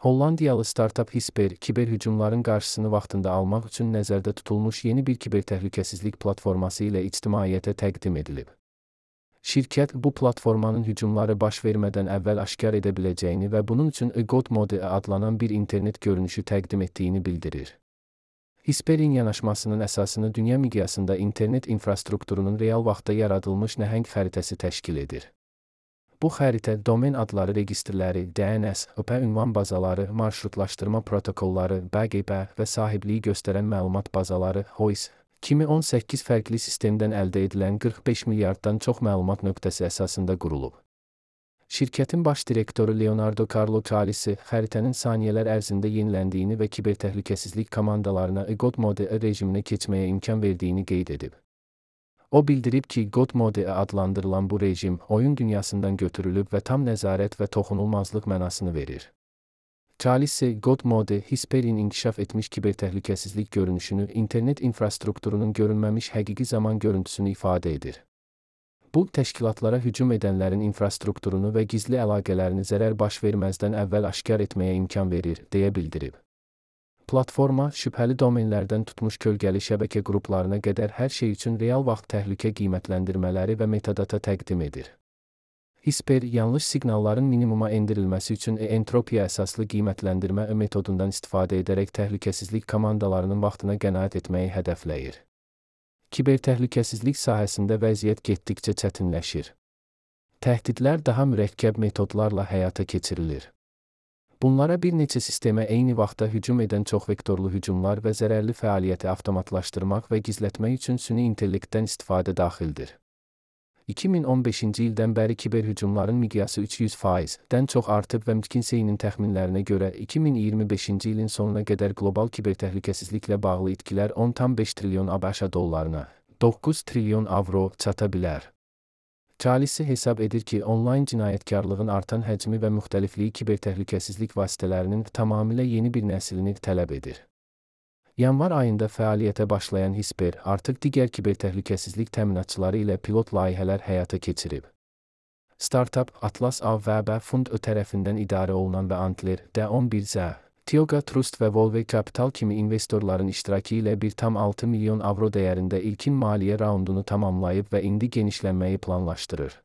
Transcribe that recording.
Hollandiyalı startap Hisper, kiber hücumların qarşısını vaxtında almaq üçün nəzərdə tutulmuş yeni bir kiber təhlükəsizlik platforması ilə ictimaiyyətə təqdim edilib. Şirkət bu platformanın hücumları baş vermədən əvvəl aşkar edə biləcəyini və bunun üçün God Mode adlanan bir internet görünüşü təqdim etdiyini bildirir. Hisperin yanaşmasının əsasını dünya miqyasında internet infrastrukturunun real vaxtda yaradılmış nəhəng xəritəsi təşkil edir. Bu xəritə domen adları registrləri, DNS, IP ünvan bazaları, marşrutlaşdırma protokolları, BGP və sahibliyi göstərən məlumat bazaları, HOIS kimi 18 fərqli sistemdən əldə edilən 45 milyarddan çox məlumat nöqtəsi əsasında qurulub. Şirkətin baş direktoru Leonardo Carlo Calisi xəritənin saniyələr ərzində yeniləndiyini və kiber təhlükəsizlik komandalarına God Mode rejiminə keçməyə imkan verdiyini qeyd edib. O bildirib ki, God Mode adlandırılan bu rejim oyun dünyasından götürülüb və tam nəzarət və toxunulmazlıq mənasını verir. Calisi, God Mode, Hisperin inkişaf etmiş kiber təhlükəsizlik görünüşünü, internet infrastrukturunun görünməmiş həqiqi zaman görüntüsünü ifadə edir. Bu, təşkilatlara hücum edənlərin infrastrukturunu və gizli əlaqələrini zərər baş verməzdən əvvəl aşkar etməyə imkan verir, deyə bildirib. Platforma, şübhəli domenlərdən tutmuş kölgəli şəbəkə qruplarına qədər hər şey üçün real vaxt təhlükə qiymətləndirmələri və metadata təqdim edir. Hisper, yanlış siqnalların minimuma endirilməsi üçün entropiya əsaslı qiymətləndirmə metodundan istifadə edərək təhlükəsizlik komandalarının vaxtına qənaət etməyi hədəfləyir. Kiber təhlükəsizlik sahəsində vəziyyət getdikcə çətinləşir. Təhdidlər daha mürəkkəb metodlarla həyata keçirilir. Bunlara bir neçə sistemə eyni vaxtda hücum edən çoxvektorlu hücumlar və zərərli fəaliyyəti avtomatlaşdırmaq və gizlətmək üçün süni intellektdən istifadə daxildir. 2015-ci ildən bəri kiber hücumların miqyası 300%-dən çox artıb və McKinsey-nin təxminlərinə görə 2025-ci ilin sonuna qədər qlobal kiber təhlükəsizliklə bağlı itkilər 10,5 trilyon ABŞ dollarına, 9 trilyon avro çata bilər. Calisi hesab edir ki, onlayn cinayətkarlığın artan həcmi və müxtəlifliyi kiber təhlükəsizlik vasitələrinin tamamilə yeni bir nəslini tələb edir. Yanvar ayında fəaliyyətə başlayan Hisper artıq digər kiber təhlükəsizlik təminatçıları ilə pilot layihələr həyata keçirib. Startup, Atlas AVB Fund tərəfindən idarə olunan və Antler, D11Z, Tioga Trust və Volve Capital kimi investorların iştirakı ilə 1,6 milyon avro dəyərində ilkin maliyyə raundunu tamamlayıb və indi genişlənməyi planlaşdırır.